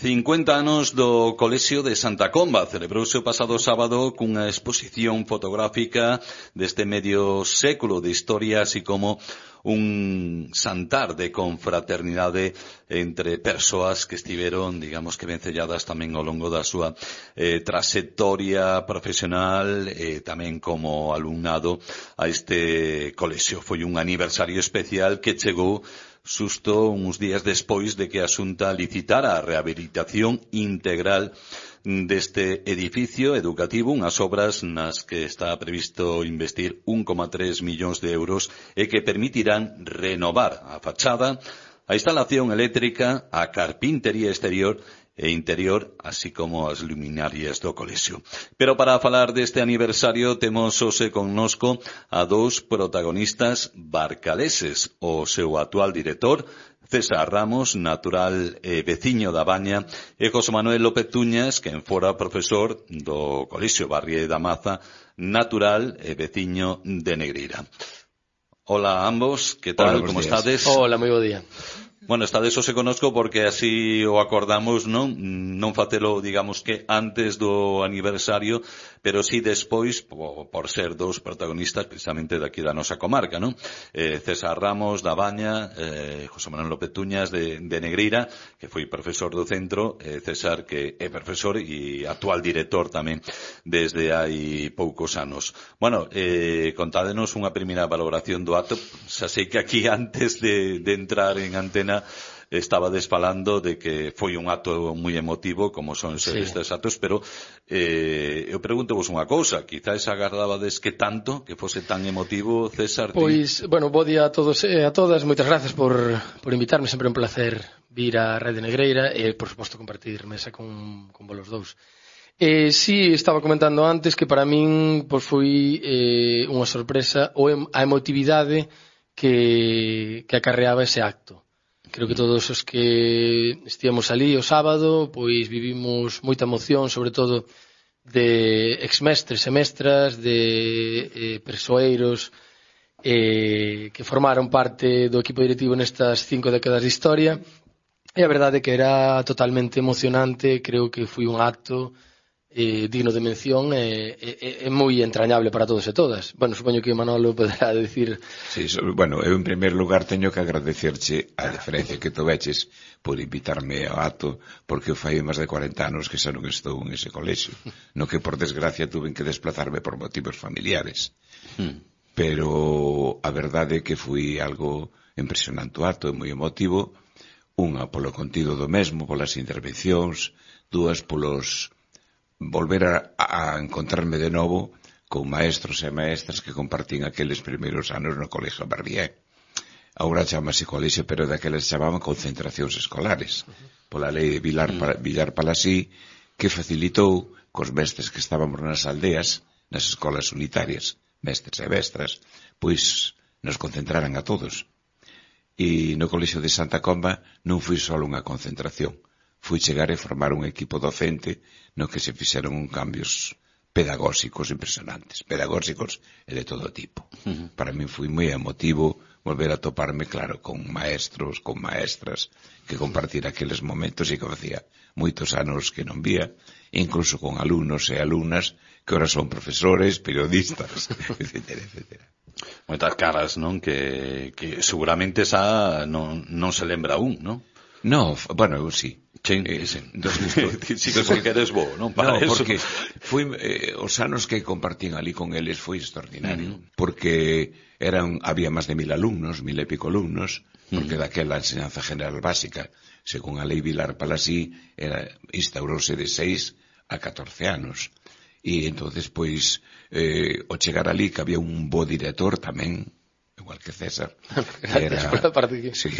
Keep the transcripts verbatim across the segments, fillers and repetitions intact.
cincuenta anos do Colexio de Santa Comba celebrouse o pasado sábado cunha exposición fotográfica deste medio século de historia, así como un xantar de confraternidade entre persoas que estiveron, digamos que vencelladas tamén ao longo da súa eh, trayectoria profesional e eh, tamén como alumnado a este colexio. Foi un aniversario especial que chegou xusto uns días despois de que a Xunta licitara a rehabilitación integral deste edificio educativo, unhas obras nas que está previsto investir un coma tres millóns de euros e que permitirán renovar a fachada, a instalación eléctrica, a carpintería exterior e interior, así como as luminarias do colexio. Pero para falar deste aniversario temos hoxe connosco a dous protagonistas barcaleses, o seu actual director, César Ramos, natural e veciño da Baña, e José Manuel López Tuñas, quen fora profesor do Colexio Barrie da Maza, natural e veciño de Negreira. Hola a ambos, que tal, como estades? Hola, moi bo día. Bueno, estades hoxe connosco porque así o acordamos, non? Non facelo, digamos que antes do aniversario, pero sí despois, por, por ser dous protagonistas precisamente daqui da nosa comarca, non? Eh, César Ramos da Baña, eh, José Manuel López Tuñas de, de Negreira, que foi profesor do centro, eh, César que é profesor e actual director tamén desde hai poucos anos. Bueno, eh, contádenos unha primeira valoración do acto. Xa sei que aquí antes de, de entrar en antena estaba desfalando de que foi un acto moi emotivo, como son sí. estes actos, pero eh, eu pregunto-vos unha cousa, quizás agardabades que tanto, que fose tan emotivo, César? Pois, ti... bueno, bo día a todos e a todas, moitas gracias por, por invitarme, sempre un placer vir a Rede Negreira e, por suposto, compartir mesa con, con vos dous. Eh, sí, estaba comentando antes que para min pois, foi eh, unha sorpresa o em, a emotividade que, que acarreaba ese acto. Creo que todos os que estíamos ali o sábado, pois vivimos moita emoción, sobre todo de exmestres e mestras, de eh, persoeiros eh, que formaron parte do equipo directivo nestas cinco décadas de historia. E a verdade é que era totalmente emocionante, creo que foi un acto eh, digno de mención e eh, eh, moi entrañable para todos e todas. Bueno, supoño que Manolo poderá decir... Sí, so, bueno, eu en primer lugar teño que agradecerche a deferencia que toveches por invitarme ao acto, porque eu fai máis de cuarenta anos que xa non estou en ese colexio, no que por desgracia tuven que desplazarme por motivos familiares. Hmm. Pero a verdade é que foi algo impresionante o acto, moi emotivo, unha polo contido do mesmo, polas intervencións, dúas polos... volver a, a encontrarme de novo con maestros e maestras que compartín aqueles primeiros anos no Colexio Barrie. Agora chamase colexio, pero daqueles chamaban concentracións escolares, pola lei de Vilar, mm. Villar Palasí, que facilitou cos mestres que estábamos nas aldeas, nas escolas unitarias, mestres e mestras, pois nos concentraran a todos. E no Colexio de Santa Comba non foi só unha concentración, foi chegar e formar un equipo docente no que se fixeron un cambios pedagóxicos impresionantes, pedagóxicos e de todo tipo. Uh-huh. Para mí foi moi emotivo volver a toparme, claro, con maestros, con maestras, que compartir aqueles momentos e que facía moitos anos que non vía, incluso con alumnos e alumnas que ahora son profesores, periodistas, etcétera, etcétera. Moitas caras, non? Que, que seguramente esa non, non se lembra un, non? No, bueno, eu sí. Sí, eh, sí. Sí que porque eres bo, non? Para no, eso. Porque foi, eh, os anos que compartín ali con eles foi extraordinario, uh-huh. porque eran, había máis de mil alumnos, mil e pico alumnos, porque uh-huh. daquela enseñanza general básica, según a lei Vilar Palasí, era, instaurouse de seis a catorce anos. E entonces, pois, eh, o chegar ali que había un bo director tamén, igual que César, era, sí,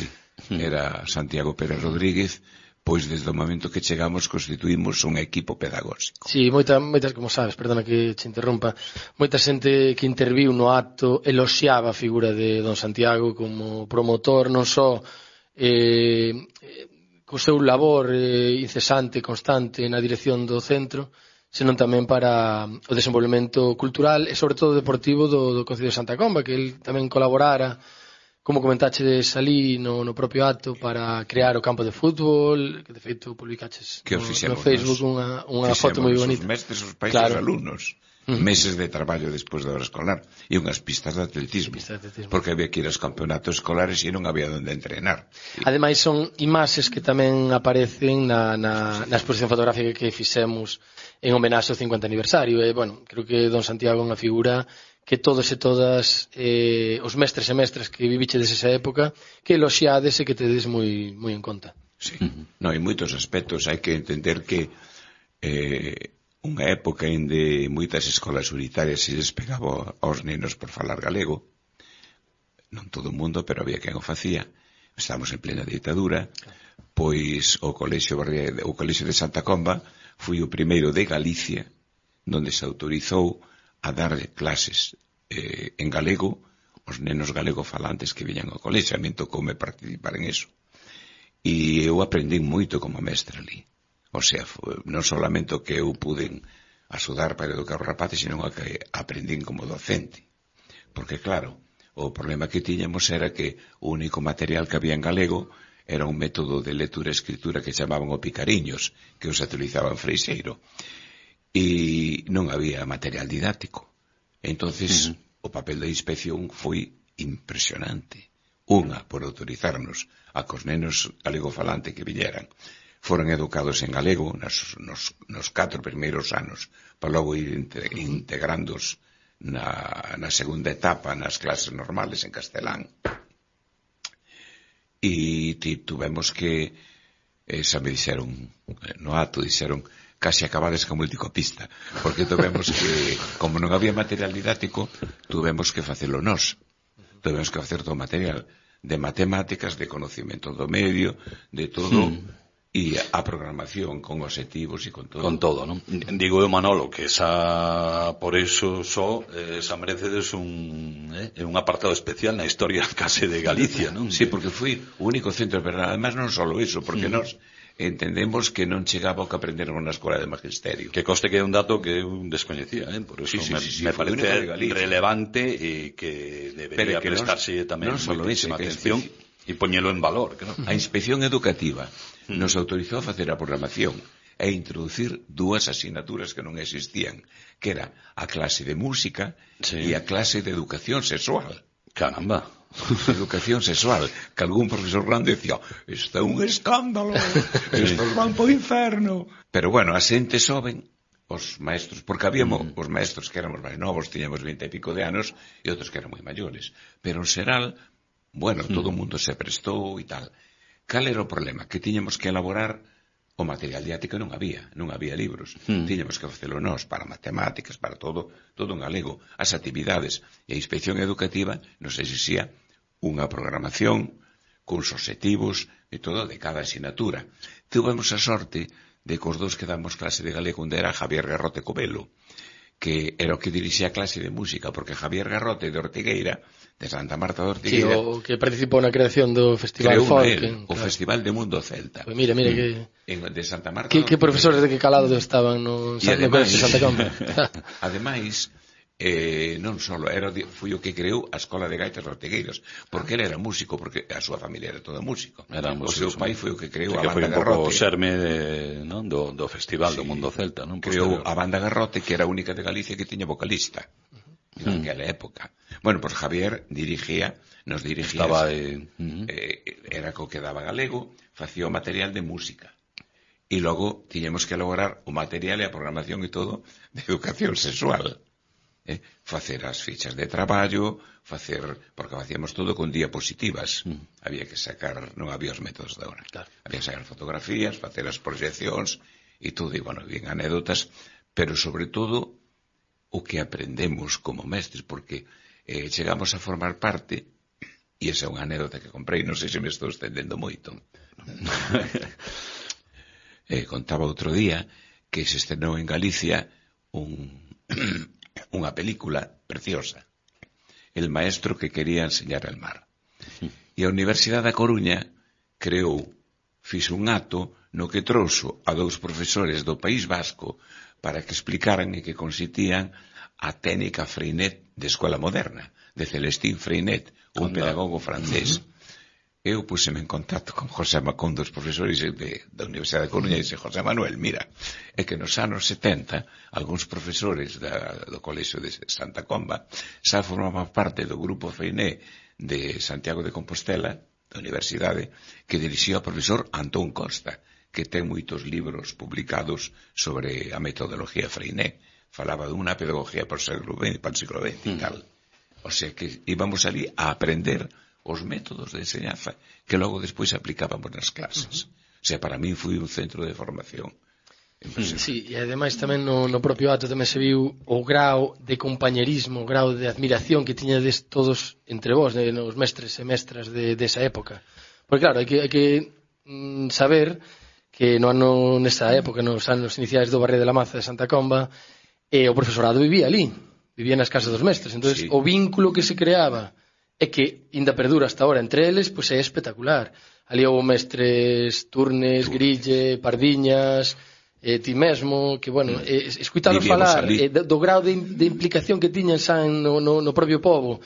era Santiago Pérez Rodríguez, pois desde o momento que chegamos constituímos un equipo pedagóxico. Sí, moita, moitas, como sabes, perdona que te interrompa, moita xente que interviu no acto eloxiaba a figura de don Santiago como promotor, non só eh, co seu labor eh, incesante, constante na dirección do centro, senón tamén para o desenvolvemento cultural e sobre todo deportivo do, do Concello de Santa Comba, que el tamén colaborara como comentaches ali no, no propio acto, para crear o campo de fútbol, que de feito publicaches que no, no Facebook unha, unha foto moi bonita. Os mestres, os pais, claro. os alumnos. Uh-huh. Meses de traballo despois da hora escolar e unhas pistas de atletismo, Pista de atletismo. Porque había que ir aos campeonatos escolares e non había onde entrenar. Ademais son imaxes que tamén aparecen na, na, na exposición fotográfica que fixemos en homenaxe ao cincuenta aniversario. E, bueno, creo que don Santiago é unha figura que todos e todas eh, os mestres e mestras que viviche desesa época que eloxiades e que tedes moi, moi en conta. Sí, uh-huh. No, en moitos aspectos hai que entender que eh, unha época en de moitas escolas unitarias se les pegaba aos nenos por falar galego, non todo o mundo, pero había quen o facía. Estamos en plena ditadura, pois o colexio, o colexio de Santa Comba foi o primeiro de Galicia donde se autorizou a dar clases eh, en galego aos nenos galego-falantes que viñan ao colexio. A min tocoume participar en eso. E eu aprendi moito como mestre ali. O sea, foi, non solamente o que eu pude axudar para educar os rapaces, sino o que aprendín como docente. Porque, claro, o problema que tiñamos era que o único material que había en galego era un método de lectura e escritura que chamaban o picariños, que os utilizaban Freixeiro. E non había material didáctico. Entonces, uh-huh. o papel da inspección foi impresionante. Unha, por autorizarnos a que os nenos galego-falante que viñeran foran educados en galego nos, nos, nos catro primeiros anos, para logo ir integrándos na, na segunda etapa nas clases normales en castelán. E tuvemos que, eh, xa me dixeron, no acto dixeron, casi acabades ca multicopista, porque tuvemos que, como non había material didáctico, tuvemos que facelo nós. Tuvemos que facer todo o material de matemáticas, de conocimiento do medio, de todo, e a programación con objetivos e con todo. Con todo, non? Digo eu, Manolo, que esa, por eso só, esa merecedes un, eh, un apartado especial na historia case de Galicia, non? Sí, porque foi o único centro, pero además non só iso, porque mm. nós entendemos que non chegaba o que aprenderon na escola de magisterio. Que coste que é un dato que eu descoñecía, eh? Por eso sí, sí, me, sí, sí, me parece relevante e que debería que prestarse nos, tamén moitísima atención e poñelo en valor. Que non? A inspección educativa mm. nos autorizou a facer a programación e introducir dúas asignaturas que non existían, que era a clase de música sí. e a clase de educación sexual. Caramba. Educación sexual, que algún profesor grande decía, isto é un escándalo, estos van po inferno. Pero bueno, a xente soben os maestros, porque habíamos mm. os maestros que éramos máis novos, tiñamos veinte e pico de anos, e outros que eran moi maiores. Pero en xeral, bueno, mm. todo o mundo se prestou e tal. Cal era o problema? Que tiñamos que elaborar o material didáctico, non había, non había libros. Mm. Tiñamos que facelo nós para matemáticas, para todo, todo en galego. As actividades e a inspección educativa nos exixía unha programación cuns objetivos e todo de cada asignatura. Tuvemos a sorte de que os dous que damos clase de galego onde era Javier Garrote Covelo, que era o que dirixía a clase de música, porque Javier Garrote de Ortigueira, de Santa Marta de Ortigueira, sí, o que participou na creación do Festival Folk, el, o claro. Festival de Mundo Celta. Pues mira, mira que en, de Santa Marta. Que, que profesores de que calado estaban no Santa Santa Comba. Ademais, eh, non só era foi o que creou a Escola de Gaitas de Ortigueiros, porque ele era músico, porque a súa familia era toda músico. Era o seu pai foi o que creou sí, a Banda Garrote. Foi un pouco o xerme de, non? do, do Festival sí, do Mundo Celta, non? Creou a Banda Garrote, que era a única de Galicia que tiña vocalista en aquela mm. época. Bueno, pois pues Javier dirigía, nos dirigía, estaba eh, uh-huh. eh, era co que daba galego, facía o material de música. E logo tiñemos que elaborar o material e a programación e todo de educación sexual. Eh, facer as fichas de traballo, facer, porque facíamos todo con diapositivas. Mm. Había que sacar, non había os métodos de ahora. Claro. Había que sacar fotografías, facer as proxeccións e todo, e bueno, bien anécdotas, pero sobre todo o que aprendemos como mestres, porque eh, chegamos a formar parte, e esa é unha anécdota que comprei, non sei se me estou estendendo moito. eh, contaba outro día que se estrenou en Galicia un unha película preciosa, El maestro que quería enseñar el mar. E a Universidade da Coruña creou, fixo un acto no que trouxo a dous profesores do País Vasco para que explicaran e que consitían a técnica Freinet de escola moderna, de Celestín Freinet, un Anda. pedagogo francés. Uh-huh. Eu puseme en contacto con José con dos profesores de, da Universidade de Coruña e disse, José Manuel, mira, é que nos anos setenta, algúns profesores da, do Colexio de Santa Comba xa formaban parte do grupo Freinet de Santiago de Compostela, da Universidade, que dirixía o profesor Antón Costa, que ten moitos libros publicados sobre a metodología Freinet. Falaba dunha pedagogía para o século veinte, para o século veinte e tal. O sea que íbamos ali a aprender os métodos de enseñanza que logo despois aplicábamos nas clases. O sea, para mí foi un centro de formación. Sí, e ademais tamén no, no propio acto tamén se viu o grau de compañerismo, o grau de admiración que tiñades todos entre vós, de, os mestres e mestras de, desa época. Porque claro, hai que, hai que mm, saber que no ano, nesa época, nos anos iniciais do Barrio de la Maza de Santa Comba, eh, o profesorado vivía ali, vivía nas casas dos mestres. Entón, sí, o vínculo que se creaba é que ainda perdura hasta ahora entre eles, pois é espectacular. Ali houve mestres Turnes, Grille, Pardiñas, eh, ti mesmo, que, bueno, eh, escuitaros falar eh, do, do grau de, de implicación que tiñan xa no, no, no propio povo,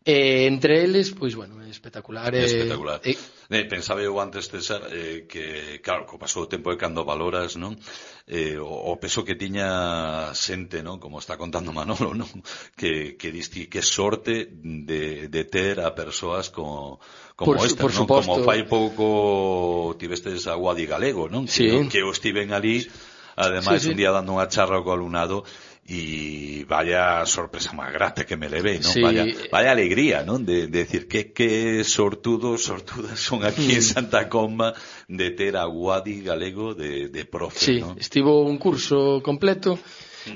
eh, entre eles, pois, bueno, é espectacular. É espectacular. Eh, eh, pensaba eu antes, César, eh, que, claro, co paso do tempo e cando valoras, non? Eh, o, o peso que tiña xente, non? Como está contando Manolo, non? Que, que disti, que sorte de, de ter a persoas como, como por, esta, por non? Suposto. Como fai pouco tivestes a Guadi Galego, non? Sí. Que, que eu estiven ali, ademais, sí, sí, un día dando unha charla co alumnado, y vaya sorpresa máis grata que me levei, non? Sí. Vaya, vaya alegría, non? De, de decir que, que sortudos, sortudas son aquí en Santa Comba de ter a Guadi Galego de, de profe, sí, non? Estivo un curso completo,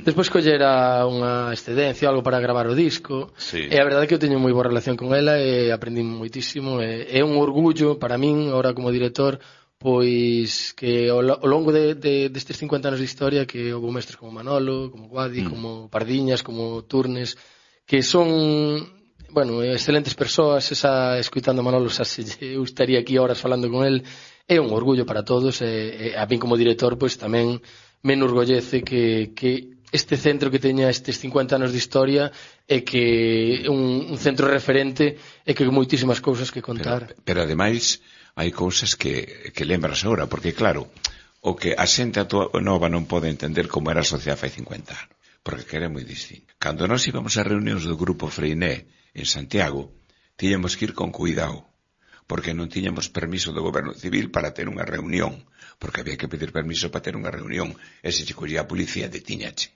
despois collera unha excedencia, algo para gravar o disco, sí. E a verdade é que eu teño moi boa relación con ela e aprendí moitísimo, e é un orgullo para min, ahora como director, pois que ao longo de, de, destes cincuenta anos de historia que houve mestres como Manolo, como Guadi, mm. como Pardiñas, como Turnes, que son, bueno, excelentes persoas. Esa, escuitando a Manolo, xa se eu estaría aquí horas falando con el. É un orgullo para todos, e, e a min como director pois tamén me enorgollece que, que este centro que teña estes cincuenta anos de historia e que un, un centro referente e que moitísimas cousas que contar. Pero, pero ademais hai cousas que, que lembras agora, porque claro, o que a xente nova non pode entender como era a sociedade fai cincuenta anos, porque que era moi distinto. Cando nós íbamos a reunións do grupo Freinet en Santiago, tiñamos que ir con cuidado, porque non tiñamos permiso do goberno civil para ter unha reunión, porque había que pedir permiso para ter unha reunión, e se che collía a policía detiñache.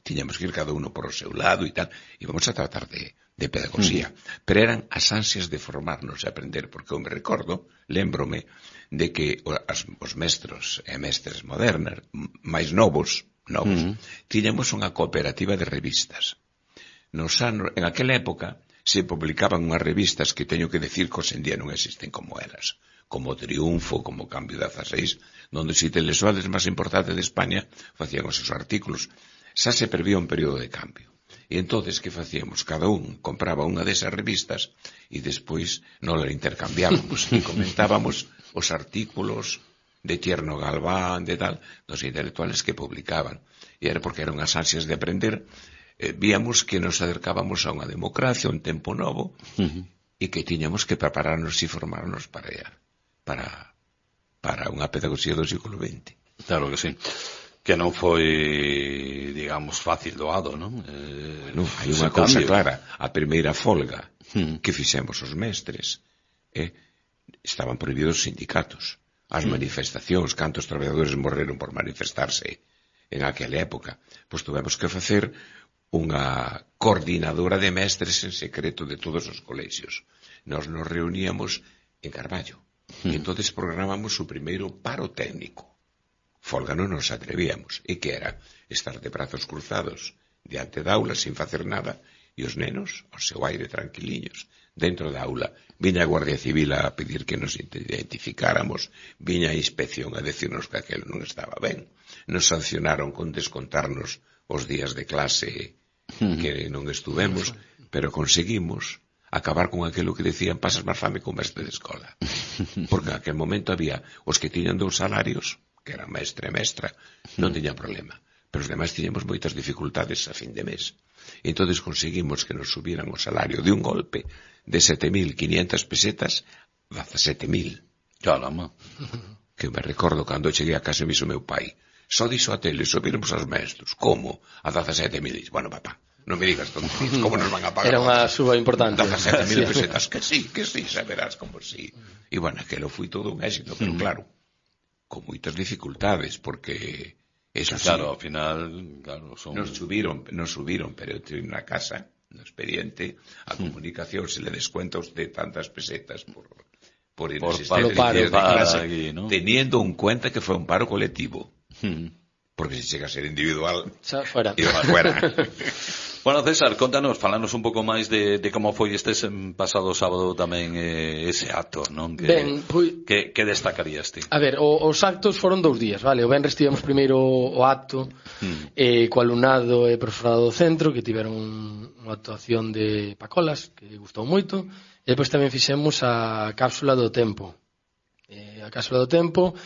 Tiñamos que ir cada uno por o seu lado e tal, e vamos a tratar de, de pedagogía. Mm. Pero eran as ansias de formarnos e aprender, porque eu me recordo, lembrome, de que as, os mestros e mestres modernas, máis novos, novos, mm. tiñamos unha cooperativa de revistas. Nos anos, en aquela época, se publicaban unhas revistas que teño que decir que hoxe en día non existen como elas, como Triunfo, como Cambio dezaseis, donde os intelectuales máis importantes de España facían os seus artículos. Xa se prevía un período de cambio. E entonces, que facíamos? Cada un compraba unha desas revistas e despois non la intercambiábamos e comentábamos os artículos de Tierno Galván, de tal, dos intelectuales que publicaban. E era porque eran as ansias de aprender. Eh, víamos que nos acercábamos a unha democracia, un tempo novo, uh-huh. e que tiñamos que prepararnos e formarnos para ella, para, para unha pedagogía do século vinte. Claro que sí. Que non foi, digamos, fácil doado, non? Eh, bueno, hai unha cousa clara. A primeira folga hmm. que fixemos os mestres, eh, estaban prohibidos os sindicatos. As hmm. manifestacións, cantos traballadores morreron por manifestarse en aquela época. Pois tuvemos que facer unha coordinadora de mestres en secreto de todos os colexios. Nos nos reuníamos en Carballo. Hmm. E entonces programamos o primeiro paro técnico. Folga non nos atrevíamos, e que era estar de brazos cruzados diante da aula sin facer nada, e os nenos, ao seu aire tranquiliños, dentro da aula. Viña a Guardia Civil a pedir que nos identificáramos, viña a inspección a decirnos que aquelo non estaba ben, nos sancionaron con descontarnos os días de clase que non estuvemos, pero conseguimos acabar con aquilo que decían pasas máis fame con mestre de escola, porque en aquel momento había os que tiñan dous salarios, que era mestre e mestra, non tiña problema. Pero os demais tiñamos moitas dificultades a fin de mes. E entonces conseguimos que nos subieran o salario de un golpe de sete mil quinientas pesetas a dezasete mil. Caramba. Que me recordo cando cheguei a casa e viso meu pai. Só dixo a tele, subiremos aos mestres. Como? A dezasete mil. Bueno, papá, non me digas tonterías, como nos van a pagar? Era unha suba importante. dezasete mil pesetas, que sí, que sí, saberás como sí. E bueno, aquilo foi todo un éxito, pero claro, con moitas dificultades, porque eso sí. Claro, ao final, claro, son... Nos subiron, nos subiron, pero eu teño na casa, no expediente, a comunicación se le descuenta a usted tantas pesetas por, por inexistencia de clase, aquí, ¿no? Teniendo en cuenta que foi un paro colectivo. Hmm. Porque se chega a ser individual, xa fuera. Iba fuera. Bueno, César, contanos, falanos un pouco máis de, de como foi este pasado sábado tamén eh, ese acto, non? Que, ben, foi... que, que destacarías ti? A ver, o, os actos foron dous días, vale? O venres tivemos primeiro o acto hmm. eh, co alumnado e profesorado do centro, que tiveron unha actuación de Pacolas, que gustou moito, e depois tamén fixemos a cápsula do tempo. Eh, a cápsula do tempo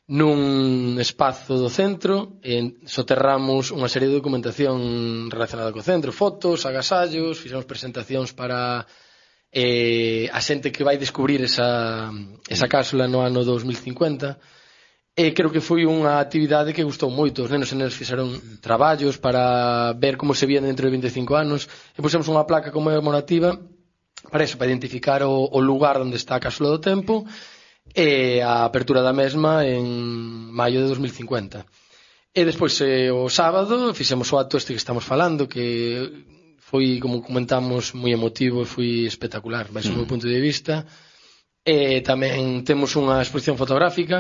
nun espazo do centro e soterramos unha serie de documentación relacionada co centro, fotos, agasallos, fixemos presentacións para eh, a xente que vai descubrir esa, esa cápsula no ano dos mil cincuenta e creo que foi unha actividade que gustou moito. Os nenos e nenas fixeron traballos para ver como se vían dentro de vinte e cinco anos e pusemos unha placa conmemorativa para eso, para identificar o, o lugar onde está a cápsula do tempo e a apertura da mesma en maio de dos mil cincuenta. E despois eh, o sábado fixemos o acto este que estamos falando, que foi, como comentamos, moi emotivo e foi espectacular, baixo o meu punto de vista. E tamén temos unha exposición fotográfica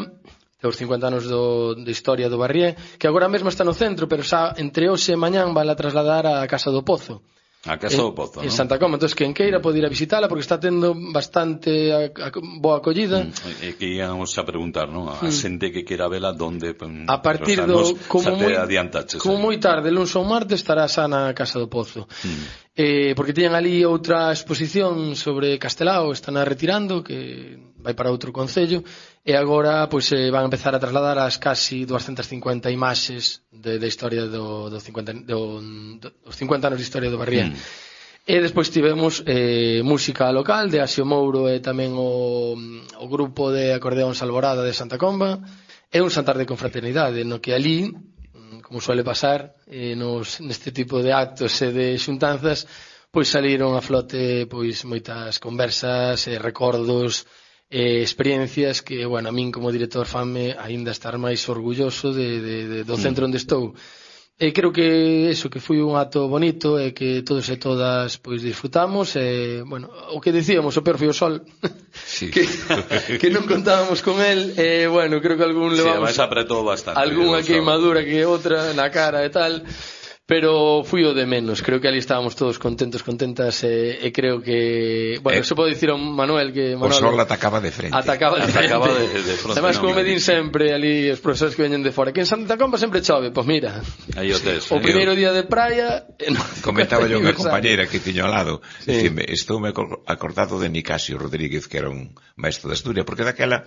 dos cincuenta anos do, de historia do Barrié, que agora mesmo está no centro, pero xa entre hoxe e mañán vai a trasladar á Casa do Pozo. A Casa do Pozo, en, non? En Santa Coma, entón quen queira pode ir a visitala porque está tendo bastante a, a, boa acollida. E mm, que íamos a preguntar, non? A mm. xente que queira vela donde... A partir do... Como moi, como aí. moi tarde, luns ou martes, estará xa na Casa do Pozo. Mm. Eh, porque tiñan ali outra exposición sobre Castelao, están a retirando, que vai para outro concello, e agora pois eh, van a empezar a trasladar as casi doscientas cincuenta imaxes de, de historia do, do cincuenta, do, do, dos cincuenta anos de historia do Barrié. Mm. E despois tivemos eh, música local de Asio Mouro e tamén o, o grupo de acordeón Salvorada de Santa Comba e un xantar de confraternidade no que ali, como suele pasar eh, nos, neste tipo de actos e de xuntanzas, pois saliron a flote pois moitas conversas e recordos e experiencias que, bueno, a min como director fanme aínda estar máis orgulloso de, de, de, do centro onde estou. E creo que eso, que foi un acto bonito e que todos e todas pois disfrutamos e, bueno, o que dicíamos, o peor foi o sol sí. que, que non contábamos con el e, bueno, creo que algún levamos sí, apretou bastante algunha queimadura que outra na cara e tal, pero fui o de menos. Creo que ali estábamos todos contentos, contentas e, e creo que, bueno, eh, se pode dicir a Manuel que Manuel, o sol atacaba de frente atacaba de frente, atacaba de, de frente. Además, como me din sempre ali os profesores que veñen de fora, que en Santa Comba sempre chove, pois mira aí o tes, o primeiro día de praia eh, no, comentaba yo unha compañera que tiño ao lado sí. Dicime, estou me acordado de Nicasio Rodríguez, que era un maestro de Asturias, porque daquela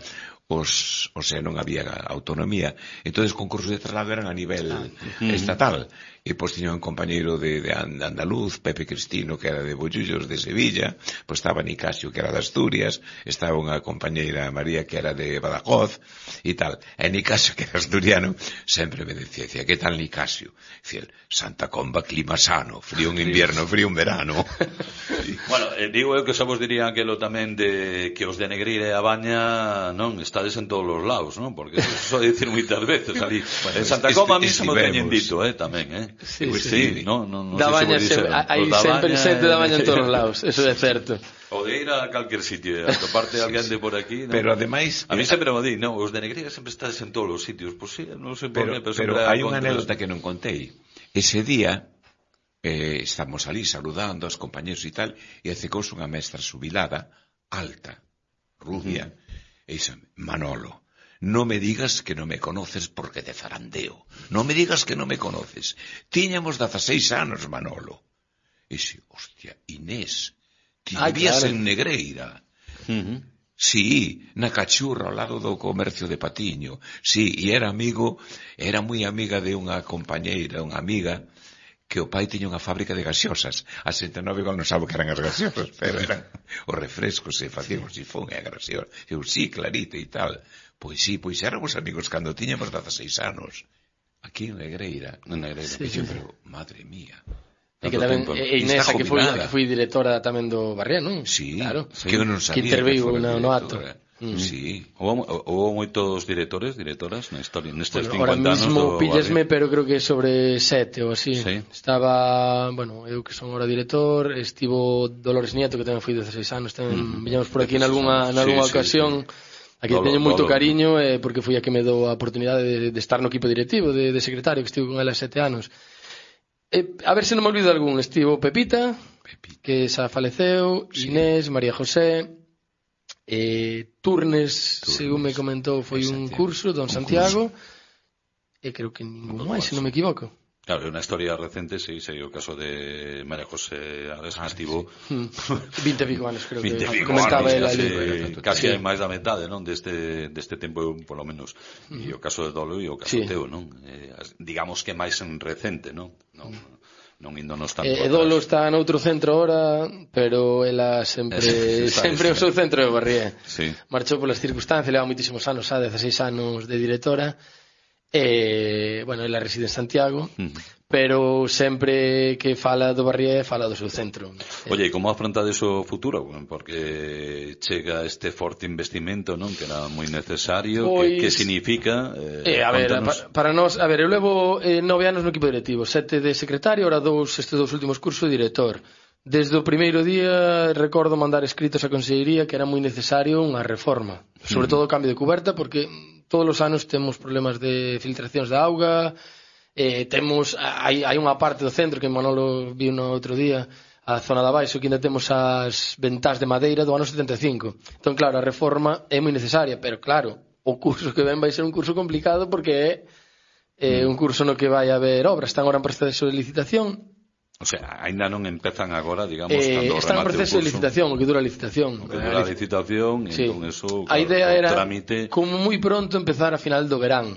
os, o sea, non había autonomía, entonces concursos de traslado eran a nivel ah. estatal. E pois tiña un compañeiro de, de andaluz, Pepe Cristino, que era de Bollullos, de Sevilla, pois estaba Nicasio, que era de Asturias, estaba unha compañeira María, que era de Badajoz, e tal. E Nicasio, que era asturiano, sempre me decía, decía, que tal Nicasio? Decía, Santa Comba, clima sano, frío en invierno, frío en verano. Bueno, eh, digo eu que xa vos diría aquelo tamén de que os de Negreira e a Baña, non, estades en todos os lados, non? Porque eso só dicir moitas veces ali. Bueno, en Santa Comba a mí se me teñen dito, eh, tamén, eh. Sí, pues sí, sí, no, no, no da sé baña si se, hai sempre xente da baña en todos os lados, eso é certo. O de ir a calquer sitio, a toparte sí, alguén de por aquí, ¿no? Pero ademais, a mí sempre me di, no, os de Negreira sempre estás en todos os sitios, pues sí, non sei por pero, qué, pero, pero hai unha anécdota que non contei. Ese día eh, estamos ali saludando aos compañeros e tal, e acercouse unha mestra xubilada, alta, rubia, uh-huh. e dixo, Manolo, no me digas que no me conoces porque te zarandeo. No me digas que no me conoces. Tiñamos dezaseis anos, Manolo. E dixo, hostia, Inés, ti vivías claro. en Negreira. Uh-huh. Sí, na Cachurra, ao lado do comercio de Patiño. Sí, e era amigo, era moi amiga de unha compañeira, unha amiga, que o pai tiña unha fábrica de gaseosas. A sesenta e nove igual non sabe que eran as gaseosas, pero eran os refrescos, e facían o sifón e a gaseosa. Eu, sí, clarito e tal. Pois sí, pois éramos amigos cando tiñamos dezaseis anos. Aquí en Negreira. En Negreira. Sí, Sí, sí. pero, madre mía. E que tamén, tempo. e Inés, Está que foi, jubilada. que foi directora tamén do Barrié, non? Sí, claro. que eu non sabía que interviu fora no, no acto. directora. Mm. Sí. Houve, houve moitos directores, directoras na historia, nestes Bueno, ahora cincuenta anos mismo do píllesme, Barrio. pero creo que sobre sete ou así. Sí. Estaba, bueno, eu que son ahora director, estivo Dolores Nieto, que tamén foi dezaseis anos, tamén Mm. viñamos por aquí en algunha, Sí, en algunha sí, ocasión. sí. Aquí Dolo- teño moito Dolo. cariño, eh, porque foi a que me dou a oportunidade de, de estar no equipo directivo, de, de secretario, que estive con ela sete anos. Eh, a ver se non me olvido algún. Estivo Pepita, Pepita. que xa faleceu, Sí. Inés, María José, eh, Turnes, Turnes, según me comentou, foi un Santiago. curso, Don Un Santiago, e creo que ningún máis, se non me equivoco. Claro, é unha historia recente, sí, sei o caso de María José Ares, que Ah, estivo Hmm. vinte e pico anos, creo vinte que e pico comentaba anos, el casi, ali. casi Sí. hai máis da metade, non, deste, deste tempo, polo menos. E o caso de Dolo e o caso Sí. teu, non? Eh, as- digamos que máis en recente, non? Non, non índonos tanto E Dolo atrás. está noutro centro ahora, pero ela sempre Está sempre o esta. seu centro de Barrié. Sí. Marchou polas circunstancias, leva moitísimos anos, xa dezaseis anos de directora. E, bueno, ela reside en Santiago, Mm. pero sempre que fala do Barrié, fala do seu centro. Oye, e como afrontades o futuro? Porque chega este forte investimento, non? Que era moi necesario. Pois- Que, que significa? Eh, Eh, a ver, contanos. pa, para nós, a ver, eu levo eh, nove anos no equipo directivo, sete de secretario, ahora dous, estes dous últimos cursos de director. Desde o primeiro día recordo mandar escritos á Consellería que era moi necesario unha reforma, sobre todo o cambio de cuberta, porque todos os anos temos problemas de filtracións de auga, eh, temos, hai, hai unha parte do centro que Manolo viu no outro día, a zona de abaixo, que ainda temos as ventás de madeira do ano setenta e cinco. Entón, claro, a reforma é moi necesaria, pero claro, o curso que ven vai ser un curso complicado porque é eh, un curso no que vai haber obras, están agora en proceso de licitación. O sea, ainda non empezan agora, digamos, Eh, cando está en remate o proceso de curso. licitación, o que dura a licitación. O que dura a licitación, e Sí. entón eso, A claro, idea o era, trámite... como moi pronto, empezar a final do verán.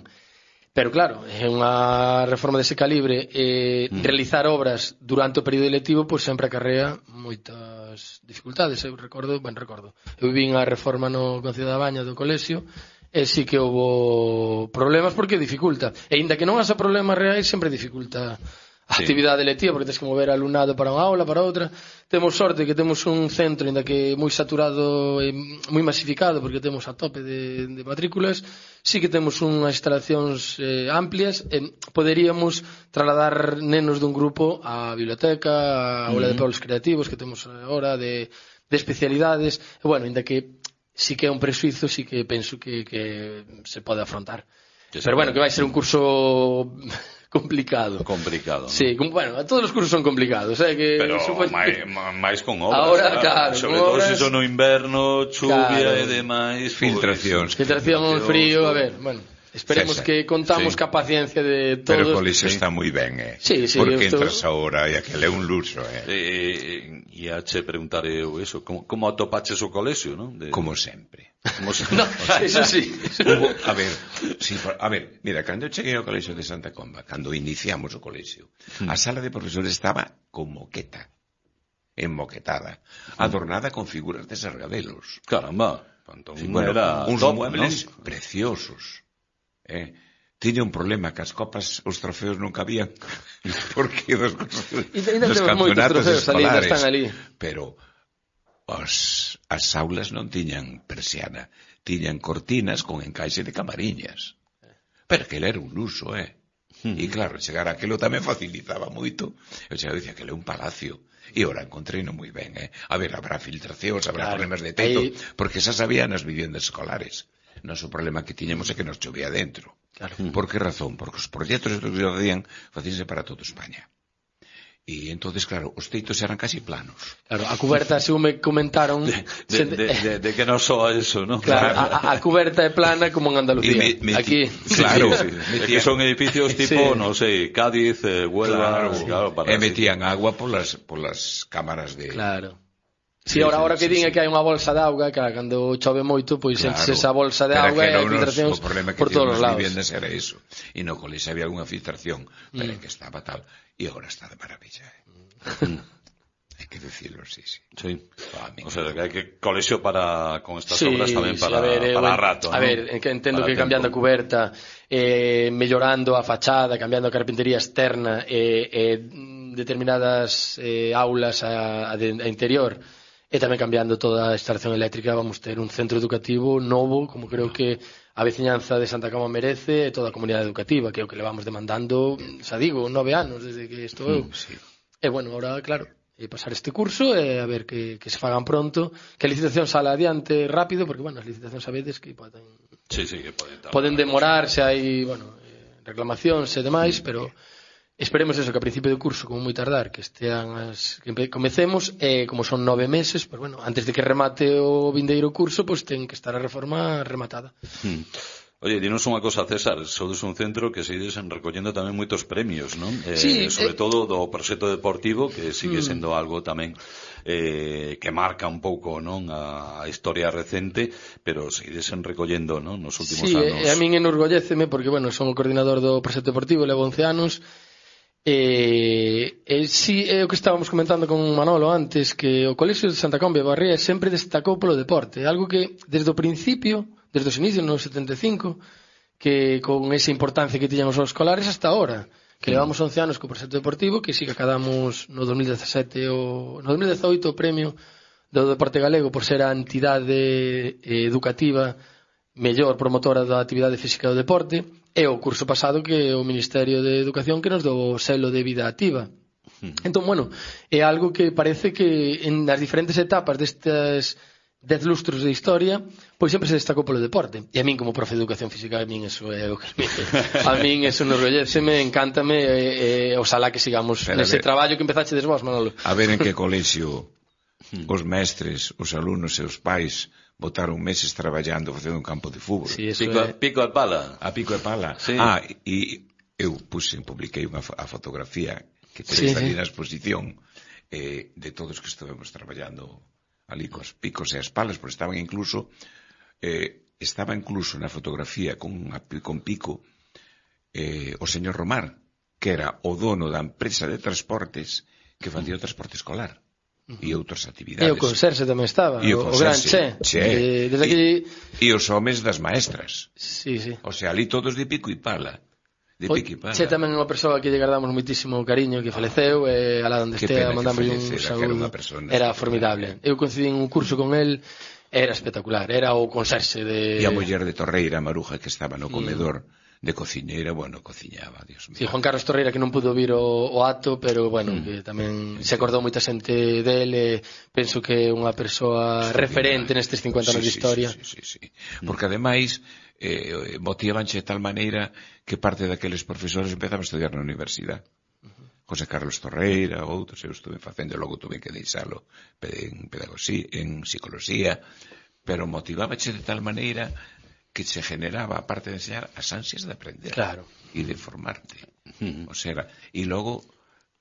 Pero claro, é unha reforma dese calibre, eh, Mm. realizar obras durante o período electivo, pois sempre acarrea moitas dificultades. Eu recordo, ben recordo, eu vin a reforma no Concello da Baña do colexio, e sí que houve problemas porque dificulta. E inda que non haxa problemas reais, sempre dificulta a Sí. actividade electiva, porque tens que mover alumnado para unha aula, para outra. Temos sorte que temos un centro, ainda que moi saturado e moi masificado, porque temos a tope de, de matrículas. Sí que temos unhas instalacións eh, amplias, e poderíamos trasladar nenos dun grupo á biblioteca, á aula de polos creativos que temos agora, de, de especialidades. E, bueno, ainda que sí que é un presuizo, sí que penso que, que se pode afrontar. Que se Pero bueno, pode. que vai ser un curso complicado. complicado. Sí, como, bueno, todos os cursos son complicados, eh, que Pero supoño máis, que- máis con obras. Ahora, claro, sobre con todo obras- se son no inverno, chuvia Claro. e demais. Filtracións. Filtración, frío, a ver, bueno, esperemos César, que contamos sí. ca paciencia de Pero o todos. colexio sí. está moi ben, eh? Sí, sí, Porque eu estou- entras ahora e aquele é un luxo, eh? E, e a che preguntar eu eso, como, como atopaches o colexio, non? De, Como sempre. como se... No, eso sí. Hubo, a ver, sí, por- a ver, mira, cando eu cheguei ao colexio de Santa Comba, cando iniciamos o colexio, a sala de profesores estaba con moqueta, enmoquetada, adornada con figuras de sargadelos. Caramba, entón Sí, bueno, era uns top, muebles non? preciosos. Eh, tiña un problema que as copas, os trofeos non cabían porque dos, E ainda dos temos moitos campeonatos trofeos ali, ainda escolares, están ali. pero os, as aulas non tiñan persiana, tiñan cortinas con encaixe de camariñas. Pero que era un luxo, eh? E claro, chegar a aquilo tamén facilitaba moito. Eu chegaba e dicía que era un palacio. E ora encontrei no moi ben, eh? A ver, habrá filtracións, habrá Claro. problemas de teito, Aí- porque xa sabía nas viviendas escolares. Noso problema que tiñamos é que nos chovía dentro. Claro. Por que razón? Porque os proxectos que se facían, facíanse para toda España. E entonces, claro, os teitos eran casi planos. Claro, a cuberta, según me comentaron, De, se- de, de, de que non soa eso, non? claro, a, a cuberta é plana como en Andalucía. E me- me- Aquí, Claro, Sí, sí. É metía- que son edificios tipo, Sí. non sei, Cádiz, eh, Huelva, Claro, claro, para e metían agua polas, polas cámaras de... claro. Si, sí, ahora, ahora que din é que hai unha bolsa de auga, que cando chove moito, pois claro, enches esa bolsa de auga e hai filtracións por todos os lados. O problema que vivendas era iso. E no colexo había algunha filtración, pero mm. que estaba tal, e agora está de maravilla. Eh? Mm. Hai que decirlo, sí, sí. Sí. Ah, o sea, que hai que colexo para, con estas sí, obras tamén para, sí, a ver, para eh, rato, A ¿no? ver, entendo para que tempo. Cambiando a cuberta, eh, mellorando a fachada, cambiando a carpintería externa, e eh, eh, determinadas eh, aulas a, a, de, a interior, e tamén cambiando toda a instalación eléctrica, vamos ter un centro educativo novo, como creo que a veciñanza de Santa Coma merece, e toda a comunidade educativa, que é o que levamos demandando, xa digo, nove anos desde que estou eu. Mm, sí. E bueno, ahora, claro, e pasar este curso e a ver que, que se fagan pronto, que a licitación sala adiante rápido, porque, bueno, as licitacións a veces que poden, sí, sí, que poden, poden demorar, se hai, bueno, reclamacións e demais, mm, pero esperemos eso, que a principio do curso, como moi tardar, que estean as, que comecemos, e como son nove meses, pues bueno, antes de que remate o vindeiro curso, pues ten que estar a reforma rematada. Mm. Oye, dinos unha cosa, César, sodes un centro que seguides recollendo tamén moitos premios, non? Eh, sí, sobre eh... todo do proxecto deportivo, que sigue sendo algo tamén eh, que marca un pouco, non, a, a historia recente, pero seguides recollendo, non, nos últimos sí, anos. Sí, e a min enorgolléceme, porque, bueno, son o coordinador do proxecto deportivo, levo once anos, E, e si é o que estábamos comentando con Manolo antes, que o Colexio de Santa Comba de Barría sempre destacou polo deporte, algo que desde o principio, desde os inicios no setenta e cinco, que con esa importancia que tiñan os escolares hasta ahora, que levamos once anos co proxecto deportivo, que si que acadamos no dos mil dezasete o no dos mil dezoito o premio do deporte galego por ser a entidade educativa mellor promotora da actividade física do deporte. E o curso pasado que o Ministerio de Educación que nos dou o selo de vida activa. Entón, bueno, é algo que parece que en as diferentes etapas destes dez lustros de historia, pois sempre se destacou polo deporte. E a min, como profe de Educación Física, a min eso é o que me... A min eso nos rolléceme, encántame, e, e oxalá que sigamos Pero nese traballo que empezachedes vos, Manolo. A ver en que colexio os mestres, os alumnos e os pais botaron meses traballando facendo un campo de fútbol. Sí, pico, é... pico e pala. A pico e pala. Sí. Ah, e eu puse, publiquei unha a fotografía que tenéis sí, ali sí. na exposición eh, de todos que estivemos traballando ali cos picos e as palas, porque estaban incluso eh, estaba incluso na fotografía con, con pico eh, o señor Romar, que era o dono da empresa de transportes que facía o transporte escolar. E outras actividades. E o conserxe tamén estaba, e o, o gran Che. che. E, desde aquí... e os homes das maestras. Sí, sí. O sea, ali todos de pico e pala. De o, pico e pala. Che tamén é unha persoa que lle guardamos moitísimo cariño, que faleceu, e alá onde estea mandamos un saúdo. Era formidable. Eu coincidí en un curso con el, era espectacular. Era o conserxe de... E a muller de Torreira, Maruja, que estaba no comedor... Mm. de cociñeira, bueno, cociñaba, Dios mío. Sí, Juan Carlos Torreira, que non pudo vir o, o acto, pero, bueno, mm. que tamén se acordou moita xente dele, penso que é unha persoa Historia. referente nestes cincuenta anos sí, de historia. Sí, sí, sí, sí. Mm. Porque, ademais, eh, motivanche de tal maneira que parte daqueles profesores empezaban a estudiar na universidade. Uh-huh. José Carlos Torreira, outros, eu estuve facendo, logo tuve que deixalo en pedagogía, en psicología, pero motivábache de tal maneira que se generaba, aparte de enseñar, as ansias de aprender claro. e de formarte. Uh-huh. O sea, e logo,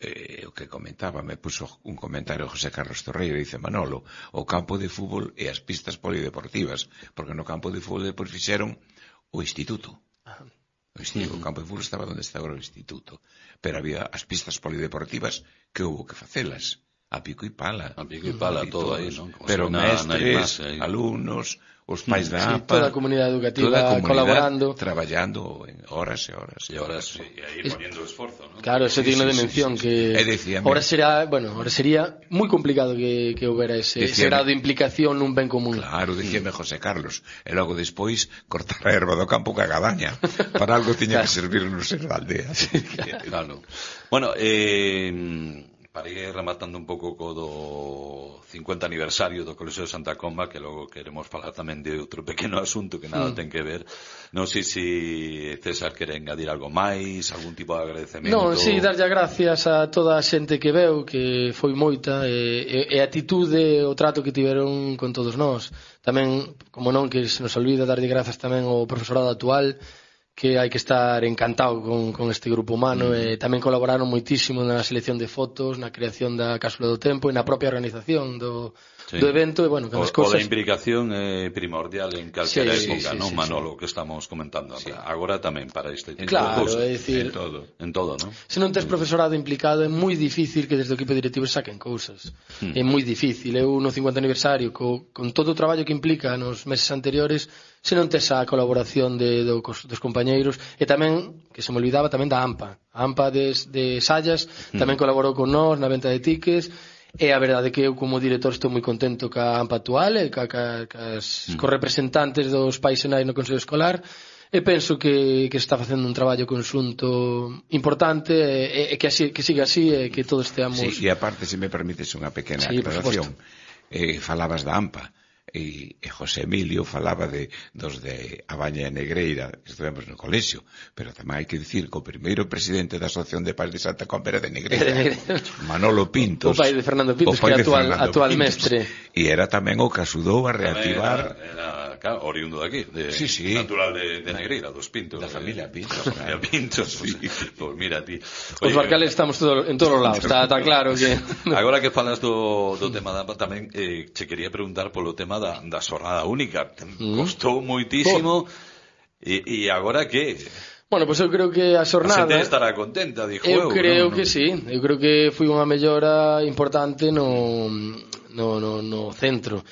eh, o que comentaba, me puso un comentario José Carlos Torreira, dice Manolo, o campo de fútbol e as pistas polideportivas, porque no campo de fútbol depois fixeron o instituto. Uh-huh. O, instituto, uh-huh. o campo de fútbol estaba onde está agora o instituto, pero había as pistas polideportivas que houve que facelas, a pico e pala. A pico e pala, uh-huh. todo aí, non? Pero mestres, alumnos... os pais da sí, A P A, toda a comunidade educativa toda a comunidade colaborando, traballando en horas e horas e horas, sí, e aí poniendo esforzo, ¿no? Claro, ese sí, digno sí, de mención sí, sí, que sí. ahora será, bueno, ahora sería moi complicado que, que houbera ese, ese grado de implicación nun ben común. Claro, dicíame José Carlos, e logo despois cortar a erva do campo ca gadaña, para algo tiña claro. que servir no ser da aldea. Sí, claro. Bueno, eh para ir rematando un pouco co do cincuenta aniversario do Colexio de Santa Comba, que logo queremos falar tamén de outro pequeno asunto que nada mm. ten que ver. Non sei se César quere engadir algo máis, algún tipo de agradecemento. Non, si, sí, darlle gracias a toda a xente que veu, que foi moita, e, e a atitude, o trato que tiveron con todos nós. Tamén, como non, que se nos olvida darlle grazas tamén ao profesorado actual, que hai que estar encantado con, con este grupo humano mm. e tamén colaboraron moitísimo na selección de fotos, na creación da cápsula do tempo e na propia organización do, sí. do evento e bueno, o, cosas... o da implicación é primordial en calquera sí, época, sí, non, sí, Manolo, sí. que estamos comentando sí. agora tamén para este tipo claro, de cosas. É dicir, en todo, en todo, non? Se non tes profesorado implicado é moi difícil que desde o equipo directivo saquen cousas. Mm. É moi difícil. Eu no cincuenta aniversario co, con todo o traballo que implica nos meses anteriores, se non tes a colaboración de, do, dos compañeiros e tamén, que se me olvidaba, tamén da AMPA a AMPA de, de Sallas mm. tamén colaborou con nós na venta de tickets e a verdade é que eu como director estou moi contento ca AMPA actual e ca, ca, cas, mm. cos representantes dos pais enais no Consello Escolar e penso que, que se está facendo un traballo conxunto importante e, e que, así, que siga así e que todos esteamos... Sí, e aparte, se me permites unha pequena sí, aclaración, eh, falabas da AMPA e, e José Emilio falaba de dos de Abaña e Negreira que estivemos no colexio, pero tamén hai que dicir que o primeiro presidente da Asociación de Pais de Santa Comba era de Negreira, Manolo Pintos, o pai de Fernando Pintos, que é actual, actual Pintos, mestre, e era tamén o que axudou a reactivar era, era, claro, oriundo daqui de, sí, sí. natural de, de Negreira, dos Pintos, da familia Pintos, da familia Pintos, sí. Pues, pues mira ti. Oye, os barcales estamos todo, en todos os lados, está, está claro que agora que falas do, do tema da tamén eh, che quería preguntar polo tema da, da xornada única, mm. costou moitísimo oh. e, e agora que? Bueno, pois pues eu creo que a xornada... A xente estará contenta, dixo eu. Eu creo no, que no. sí, eu creo que foi unha mellora importante no, no, no, no centro,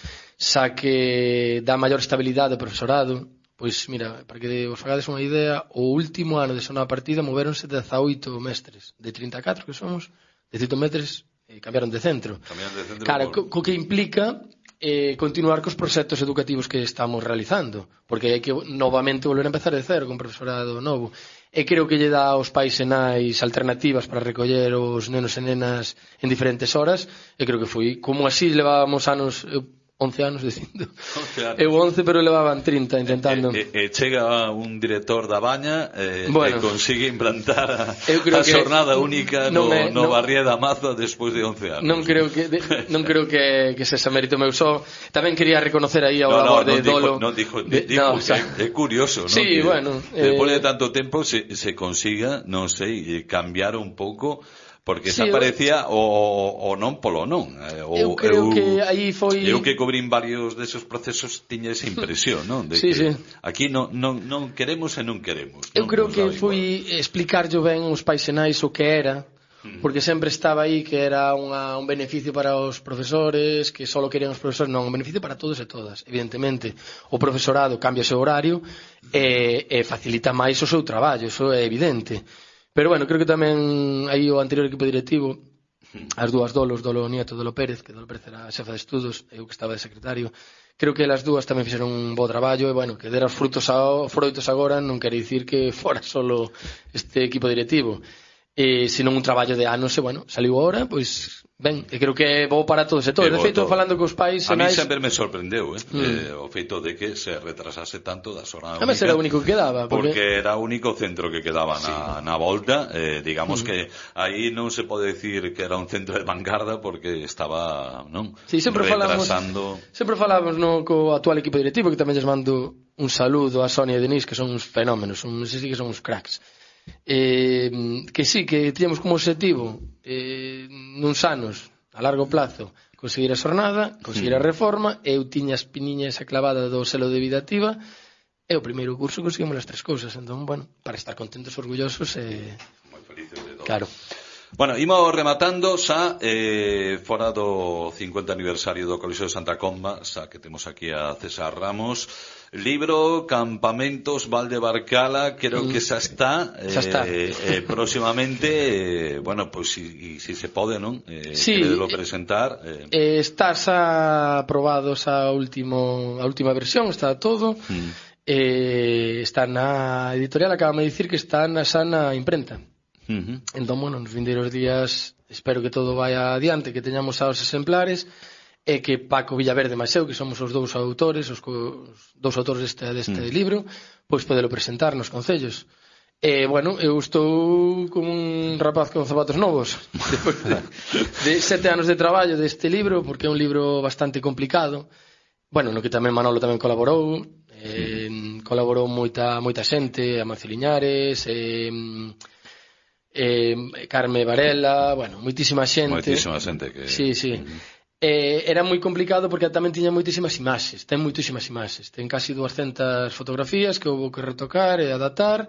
xa que dá maior estabilidade ao profesorado. Pois mira, para que vos fagades unha idea, o último ano de xornada partida moveronse dezaoito mestres, de trinta e catro que somos, dezaoito mestres eh, cambiaron de centro. Cambiaron de centro. Claro, co, co que implica eh, continuar cos proxectos educativos que estamos realizando, porque hai que novamente volver a empezar de cero con profesorado novo. E creo que lle dá aos pais e nais alternativas para recoller os nenos e nenas en diferentes horas, e creo que foi como así levábamos anos... Eu, once anos dicindo. Eu once, pero levaban trinta intentando. E, e, e chega un director da Baña e, bueno, e consigue implantar a, a xornada única no, me, no, no Barrié da Maza despois de once anos. Non creo que de, non creo que, que se xa mérito meu só. Tamén quería reconocer aí ao no, labor no, de Dolo. Non dijo, de, dijo no, o sea, é, é curioso, non? Sí, que bueno. Despois eh, de tanto tempo se, se consiga, non sei, cambiar un pouco. Porque sí, xa parecía o, o non polo non. O, eu creo eu, que aí foi... Eu que cobrín varios desos procesos tiña esa impresión, non? De sí, que sí. Aquí non, non, non queremos e non queremos. Eu non, creo non que foi explicarlle ben os pais e nais o que era, porque sempre estaba aí que era unha, un beneficio para os profesores, que só querían os profesores, non, un beneficio para todos e todas. Evidentemente, o profesorado cambia o seu horario e, e facilita máis o seu traballo, iso é evidente. Pero bueno, creo que tamén aí o anterior equipo directivo, as dúas Dolos, Dolo Nieto, Dolo Pérez, que Dolo Pérez era a xefa de estudos, eu que estaba de secretario, creo que as dúas tamén fixeron un bo traballo e bueno, que dera os frutos a, froitos agora non quere dicir que fora solo este equipo directivo, e senón un traballo de anos e bueno, saliu agora, pois ben, e creo que é bo para todos e todos. De feito, falando cos pais... A mí sempre me sorprendeu, eh? Mm. eh, o feito de que se retrasase tanto da xornada única. Además era o único que quedaba. Porque, porque era o único centro que quedaba na, sí. na volta. Eh, digamos mm. que aí non se pode decir que era un centro de vanguarda porque estaba, non? Sí, sempre retrasando... Falamos, sempre falamos no, co actual equipo directivo, que tamén lles mando un saludo a Sonia e Denise, que son uns fenómenos, un, sí que son uns cracks. Eh, que sí, que tiñamos como objetivo eh, nuns anos a largo plazo conseguir a xornada, conseguir a reforma. Eu tiña as piniñas a clavada do selo de vida activa e o primeiro curso conseguimos as tres cousas, entón, bueno, para estar contentos, orgullosos e... moi felices de todo. Claro. Bueno, imos rematando xa eh, fora do cincuenta aniversario do Colexio de Santa Comba, xa que temos aquí a César Ramos. Libro Campamentos Valdebarcala, creo mm. que xa está, eh, xa está. eh, próximamente, eh, bueno, pois pues, si, si se pode, non? Eh, sí, queredelo presentar. Eh. Eh, está xa aprobado xa último, a última versión, está todo. Mm. Eh, está na editorial, acabame de dicir que está na xa na imprenta. Uh-huh. Entón, bueno, nos vindeiros días espero que todo vaya adiante, que teñamos xa os exemplares e que Paco Villaverde máis eu, que somos os dous autores, os, co, os dous autores deste, deste uh-huh. libro, pois podelo presentar nos concellos. E, bueno, eu estou como un rapaz con zapatos novos depois de, de sete anos de traballo deste libro, porque é un libro bastante complicado, bueno, no que tamén Manolo tamén colaborou, eh, colaborou moita moita xente, Amancio Liñares, eh, eh, Carme Varela, bueno, moitísima xente. Moitísima xente que... Sí, sí. Uh-huh. Eh, era moi complicado porque tamén tiña moitísimas imaxes, ten moitísimas imaxes, ten casi duascentas fotografías que houve que retocar e adaptar,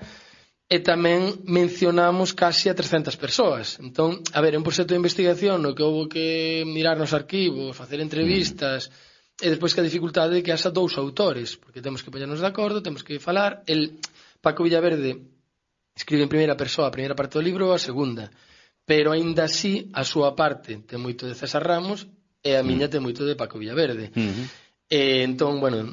e tamén mencionamos casi a trescentas persoas. Entón, a ver, é un proxecto de investigación no que houve que mirar nos arquivos, facer entrevistas, mm. e despois que a dificultade é que haxa dous autores, porque temos que poñernos de acordo, temos que falar. El Paco Villaverde escribe en primeira persoa a primeira parte do libro ou a segunda, pero aínda así a súa parte ten moito de César Ramos e a miña mm. ten moito de Paco Villaverde. Mm-hmm. E, entón, bueno,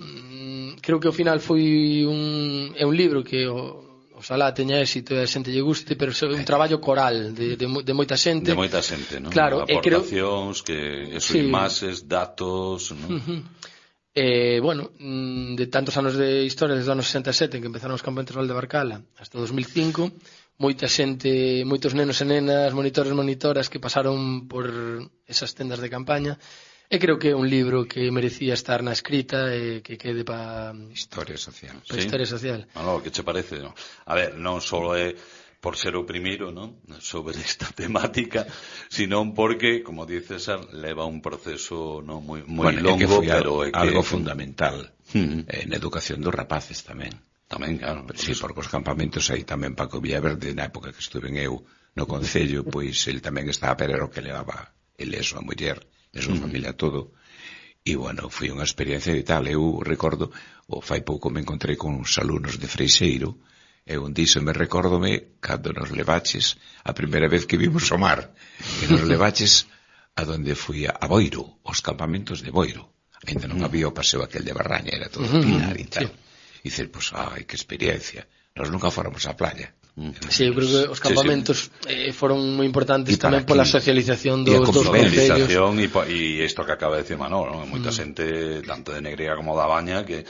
creo que ao final foi un, é un libro que o, oxalá teña éxito e a xente lle guste, pero é un traballo coral de, de, de moita xente. De moita xente, non? Claro, aportacións, creo... que eso, sí. Imaxes, datos, non? Uh-huh. Eh, bueno, de tantos anos de historia, desde os anos sesenta e sete, en que empezaron os campamentos de Valdebarcala, hasta dos mil cinco, moita xente, moitos nenos e nenas, monitores e monitoras que pasaron por esas tendas de campaña, e creo que é un libro que merecía estar na escrita e que quede para historia social. Pa sí. Historia social. Bueno, que che parece, non? A ver, non só é por ser o primeiro, non? Sobre esta temática, sino porque, como dices, leva un proceso non moi moi bueno, longo, é que foi pero algo, é que... algo fundamental uh-huh. en educación dos rapaces tamén. Tamén, claro. Sí, porque os campamentos aí tamén Paco Villaverde, na época que estuve en eu no Concello, pois ele tamén estaba, pero era o que levaba ele e a súa muller, e a súa uh-huh. familia todo. E, bueno, foi unha experiencia de tal. Eu recordo, o fai pouco me encontrei con uns alumnos de Freixeiro, e un diso me recórdome cando nos levaches a primeira vez que vimos o mar, que nos levaches a donde fui a, a Boiro, os campamentos de Boiro. Ainda non había o paseo aquel de Barraña, era todo uh-huh. pinar e tal. Sí. E dices, pois, ai, que experiencia. Nos nunca fóramos á playa. Sí, eu creo que os campamentos sí, sí. Eh, foron moi importantes tamén pola socialización dos dos concellos. E isto que acaba de decir Manolo, non? Moita mm. xente, tanto de Negreira como da Baña, que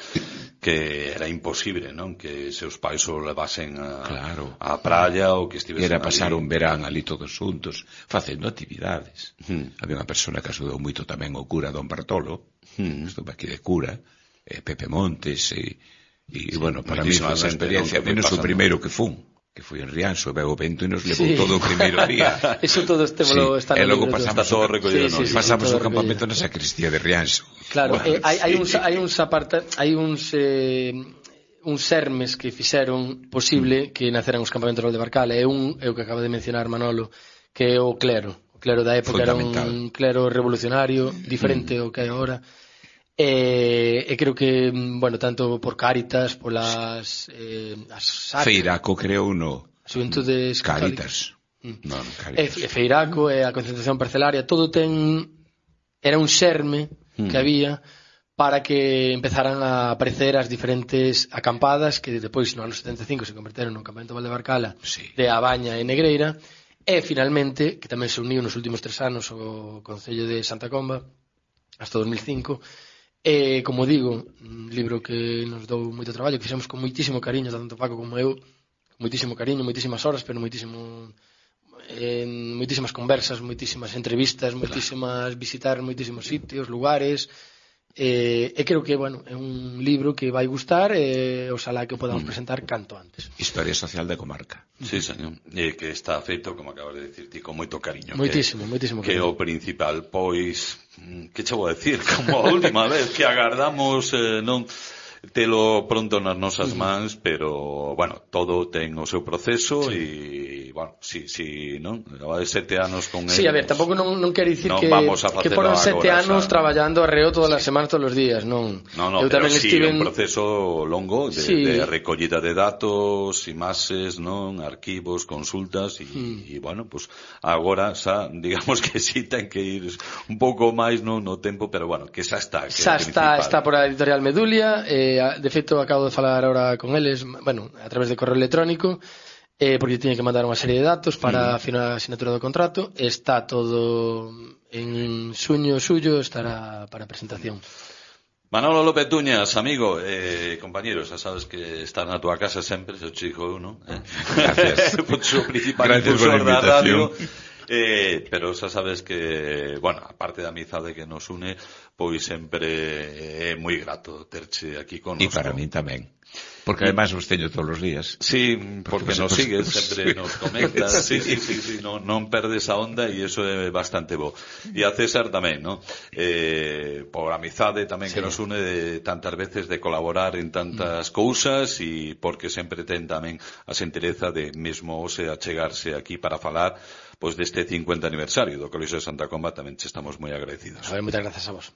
que era imposible, non? Que seus pais o levasen a, claro. a praia ou que estivesen era pasar ali un verán ali todos xuntos, facendo actividades. Mm. Había unha persona que axudou moito tamén o cura Don Bartolo, mm. estuve aquí de cura, eh, Pepe Montes, e E, sí, bueno, para mí foi unha experiencia, menos o primeiro que fun, que foi en Rianxo, veo o vento e nos levou sí. todo o primeiro día. Eso todo este sí. está no libro. E logo pasamos todo recollido, sí, sí, sí, pasamos sí, o campamento na sacristía de Rianxo. Claro, bueno, eh, hai, sí. hai uns hai uns aparta, hai uns eh, uns sermes que fixeron posible mm. que naceran os campamentos de Valdebarcala, e un é o que acaba de mencionar Manolo, que é o clero. O clero da época era un clero revolucionario, diferente ao mm. que hai agora. E, e creo que, bueno, tanto por Cáritas, polas eh, as Feiraco creou no Xuventudes Cáritas. Mm. No, no, Cáritas. E, e Feiraco e a concentración parcelaria, todo ten era un xerme mm. que había para que empezaran a aparecer as diferentes acampadas que depois no ano setenta e cinco se converteron no campamento Valdebarcala sí. de A Baña e Negreira, e finalmente, que tamén se uniu nos últimos tres anos o Concello de Santa Comba hasta dos mil cinco. E, como digo, un libro que nos dou moito traballo, que fixemos con moitísimo cariño, tanto Paco como eu, moitísimo cariño, moitísimas horas, pero moitísimo eh, moitísimas conversas, moitísimas entrevistas, moitísimas visitar moitísimos sitios, lugares, e, e creo que, bueno, é un libro que vai gustar e oxalá que o podamos mm. presentar canto antes. Historia social da comarca. Sí, señor. E que está feito, como acabas de decir ti, con moito cariño. Moitísimo, que, moitísimo cariño. Que o principal, pois, que che vou a decir, como a última vez, que agardamos, eh, non telo pronto nas nosas mans, pero, bueno, todo ten o seu proceso e, sí. bueno, si, si, non? Leva sete anos con el. Sí, a ver, tampouco non, non quero dicir non que, que foron sete anos xa traballando arreo todas as semanas, todos os días, non. No, no, eu pero tamén sí, estive un proceso longo de, sí. de recollida de datos, imaxes, non? Arquivos, consultas, e, mm. e bueno, pues agora xa, digamos que sí ten que ir un pouco máis no, no tempo, pero bueno, que xa está. Que xa está, está por a editorial Medulia, eh, de feito acabo de falar ahora con eles, bueno, a través de correo electrónico, eh, porque tiñe que mandar unha serie de datos para mm. a assinatura do contrato. Está todo en suño suyo, estará para presentación. Manolo López Tuñas, amigo, eh, compañero, xa sabes que está na túa casa sempre, se o chico eu, non? Eh? Gracias. O principal impulsor da radio. Eh, pero xa sabes que, bueno, a parte da amizade que nos une, pois sempre é moi grato terche aquí con nosco. E para mí tamén. Porque además os teño todos os días. Sí, porque pues, nos pues, sigues, pues, sempre sí. nos comentas, sí, sí, sí, sí, non, non perdes a onda e iso é bastante bo. E a César tamén, ¿no? Eh, por amizade tamén sí. que nos une de tantas veces de colaborar en tantas mm. cousas e porque sempre ten tamén a xentileza de mesmo ose achegarse aquí para falar pois deste cincuenta aniversario do Colexio de Santa Comba, tamén che estamos moi agradecidos. A ver, moitas grazas a vos.